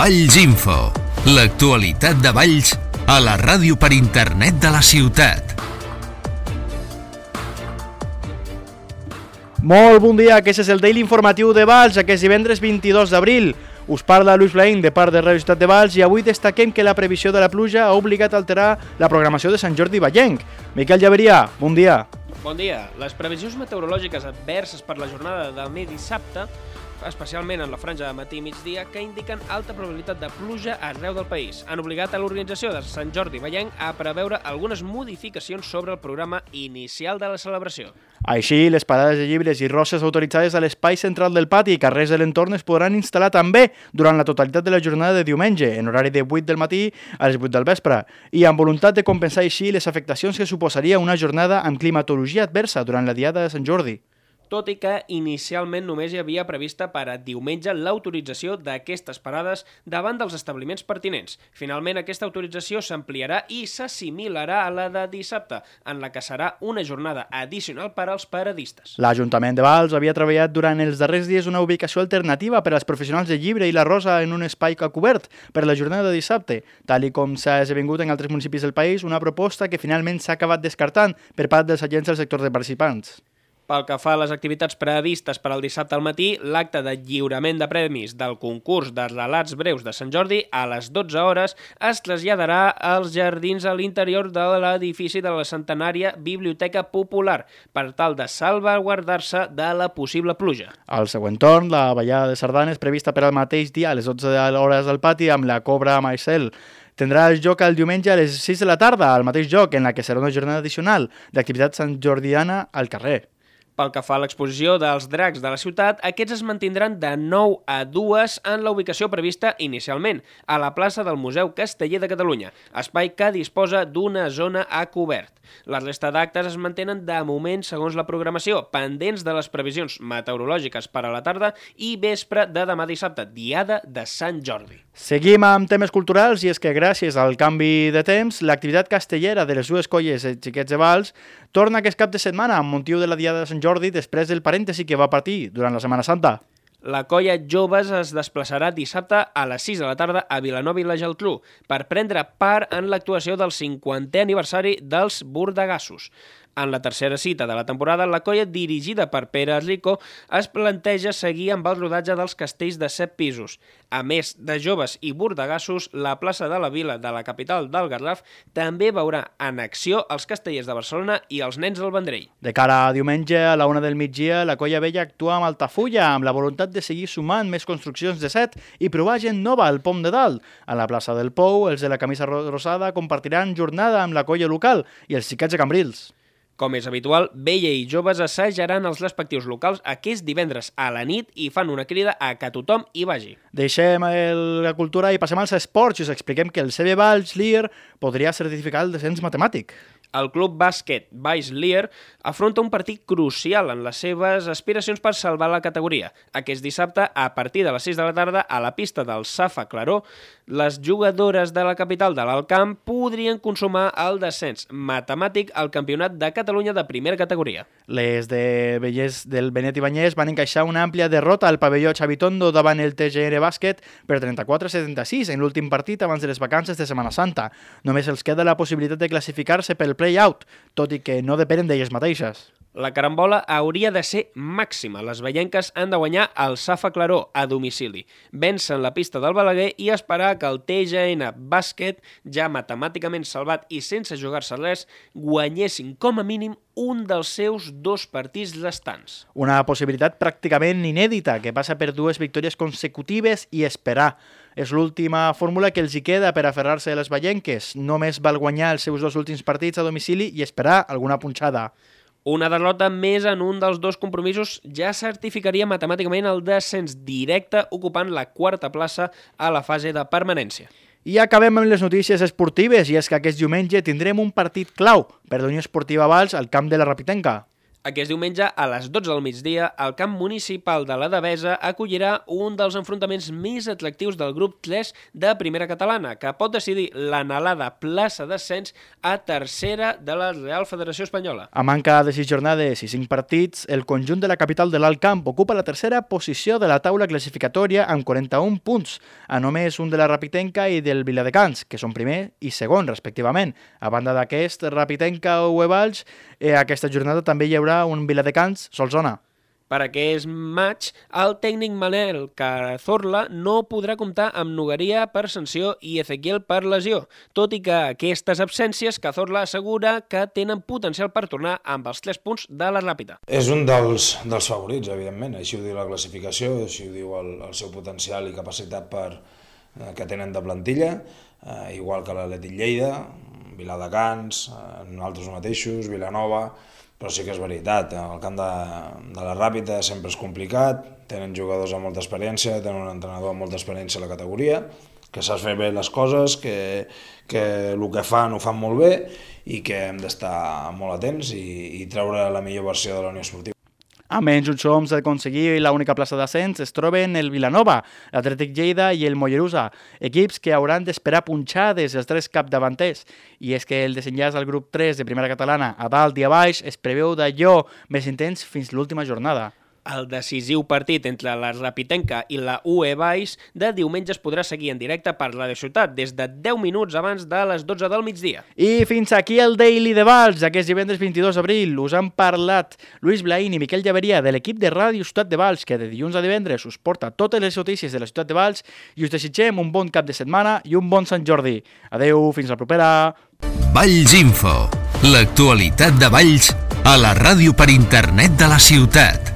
Valls Info, l'actualitat de Valls a la ràdio per internet de la ciutat. Molt bon dia, aquest és el Daily Informatiu de Valls, aquest divendres 22 d'abril. Us parla Luis Blain de part de Radio Ciutat de Valls i avui destaquem que la previsió de la pluja ha obligat a alterar la programació de Sant Jordi Vallenc. Miquel Llaveria, bon dia. Bon dia. Les previsions meteorològiques adverses per la jornada de demà dissabte, especialment en la franja de matí i migdia, que indiquen alta probabilitat de pluja arreu del país. Han obligat a l'organització de Sant Jordi Vallenc a preveure algunes modificacions sobre el programa inicial de la celebració. Així, les parades de llibres i roses autoritzades a l'espai central del pati i carrers de l'entorn es podran instal·lar també durant la totalitat de la jornada de diumenge, en horari de 8 del matí a les 8 del vespre, i amb voluntat de compensar així les afectacions que suposaria una jornada amb climatologia adversa durant la diada de Sant Jordi. Tot i que inicialment només hi havia prevista per a diumenge l'autorització d'aquestes parades davant dels establiments pertinents. Finalment, aquesta autorització s'ampliarà i s'assimilarà a la de dissabte, en la que serà una jornada addicional per als paradistes. L'Ajuntament de Valls havia treballat durant els darrers dies una ubicació alternativa per als professionals de llibre i la rosa en un espai cobert per la jornada de dissabte, tal com s'ha esdevingut en altres municipis del país, una proposta que finalment s'ha acabat descartant per part dels agents del sector de participants. Pel que fa a les activitats previstes per al dissabte al matí, l'acte de lliurament de premis del concurs de relats breus de Sant Jordi a les 12 hores es traslladarà als jardins a l'interior de l'edifici de la centenària Biblioteca Popular per tal de salvaguardar-se de la possible pluja. Al següent torn, la ballada de sardanes prevista per al mateix dia a les 12 hores del pati amb la Cobra Maicel. Tindrà el joc el diumenge a les 6 de la tarda, al mateix joc, en la que serà una jornada addicional d'activitat santjordiana al carrer. Pel que fa a l'exposició dels dracs de la ciutat, aquests es mantindran de 9 a 2 en la ubicació prevista inicialment, a la plaça del Museu Casteller de Catalunya, espai que disposa d'una zona a cobert. La resta d'actes es mantenen de moment segons la programació, pendents de les previsions meteorològiques per a la tarda i vespre de demà dissabte, diada de Sant Jordi. Seguim amb temes culturals i és que gràcies al canvi de temps, l'activitat castellera de les dues colles de Xiquets de Valls torna aquest cap de setmana amb motiu de la diada de Sant Jordi després del parèntesi que va partir durant la Setmana Santa. La colla Joves es desplaçarà dissabte a les 6 de la tarda a Vilanova i la Geltrú per prendre part en l'actuació del 50è aniversari dels Bordegassos. En la tercera cita de la temporada, la colla dirigida per Pere Rico es planteja seguir amb el rodatge dels castells de 7 pisos. A més de Joves i Bordegassos, la plaça de la Vila de la capital del Garraf també veurà en acció els castellers de Barcelona i els nens del Vendrell. De cara a diumenge, a la 1 del migdia, la colla vella actua amb Altafulla amb la voluntat de seguir sumant més construccions de set i provar gent nova al Pom de Dalt. A la plaça del Pou, els de la camisa rosada compartiran jornada amb la colla local i els xiquets de Cambrils. Com és habitual, Vella i Joves assajaran els respectius locals aquest divendres a la nit i fan una crida a que tothom hi vagi. Deixem la cultura i passem als esports i us expliquem que el CB Valls Lier podria certificar el descens matemàtic. El club bàsquet Valls Lier afronta un partit crucial en les seves aspiracions per salvar la categoria. Aquest dissabte, a partir de les 6 de la tarda, a la pista del Safa Claró, les jugadores de la capital de l'Alt Camp podrien consumar el descens matemàtic al Campionat de Catalunya de primera categoria. Les de Vellès del Benet i Banyès van encaixar una àmplia derrota al pavelló Xavitondo davant el TGR Bàsquet per 34-76 en l'últim partit abans de les vacances de Setmana Santa. Només els queda la possibilitat de classificar-se pel play-out, tot i que no depenen d'elles mateixes. La carambola hauria de ser màxima. Les vellenques han de guanyar el Safa Claró a domicili, vèncer la pista del Balaguer i esperar que el TGN Bàsquet, ja matemàticament salvat i sense jugar-se res, guanyessin com a mínim un dels seus 2 partits restants. Una possibilitat pràcticament inèdita que passa per 2 victòries consecutives i esperar. És l'última fórmula que els hi queda per aferrar-se a les vellenques. Només val guanyar els seus 2 últims partits a domicili i esperar alguna punxada. Una derrota més en un dels 2 compromisos ja certificaria matemàticament el descens directe ocupant la 4ª plaça a la fase de permanència. I acabem amb les notícies esportives i és que aquest diumenge tindrem un partit clau per la Unió Esportiva Valls al camp de la Rapitenca. Aquest diumenge, a les 12 del migdia, el camp municipal de la Devesa acollirà un dels enfrontaments més atractius del grup 3 de Primera Catalana, que pot decidir l'anhelada plaça d'ascens a tercera de la Real Federació Espanyola. A manca de 6 jornades i 5 partits, el conjunt de la capital de l'Alt Camp ocupa la tercera posició de la taula classificatòria amb 41 punts, a només un de la Rapitenca i del Viladecans, que són primer i segon, respectivament. A banda d'aquest, Rapitenca o Valls, aquesta jornada també hi haurà un Viladecans Solsona. Per aquest maig, el tècnic Manel Cazorla no podrà comptar amb Nogueria per sanció i Ezequiel per lesió, tot i que aquestes absències Cazorla assegura que tenen potencial per tornar amb els 3 punts de la Ràpita. És un dels favorits, evidentment, així ho diu la classificació, així ho diu el seu potencial i capacitat que tenen de plantilla, igual que l'Atlètic Lleida, Viladecans, nosaltres mateixos, Vilanova. Però sí que és veritat, el camp de la Ràpita sempre és complicat, tenen jugadors amb molta experiència, tenen un entrenador amb molta experiència a la categoria, que sap fer bé les coses, que el que fan ho fan molt bé i que hem d'estar molt atents i treure la millor versió de la Unió Esportiva. A menys uns homes d'aconseguir l'única plaça d'ascens es troben el Vilanova, l'Atlètic Lleida i el Mollerussa, equips que hauran d'esperar punxades els 3 capdavanters. I és que el desenllaç al grup 3 de Primera Catalana a dalt i a baix es preveu d'allò més intens fins l'última jornada. El decisiu partit entre la Rapitenca i la UE Valls de diumenge es podrà seguir en directe per Ràdio Ciutat des de 10 minuts abans de les 12 del migdia. I fins aquí el Daily de Valls, aquest divendres 22 d'abril. Us han parlat Lluís Blaín i Miquel Llaveria de l'equip de Ràdio Ciutat de Valls, que de dilluns a divendres us porta totes les notícies de la ciutat de Valls i us desitgem un bon cap de setmana i un bon Sant Jordi. Adeu, fins la propera. Valls Info, l'actualitat de Valls a la ràdio per internet de la ciutat.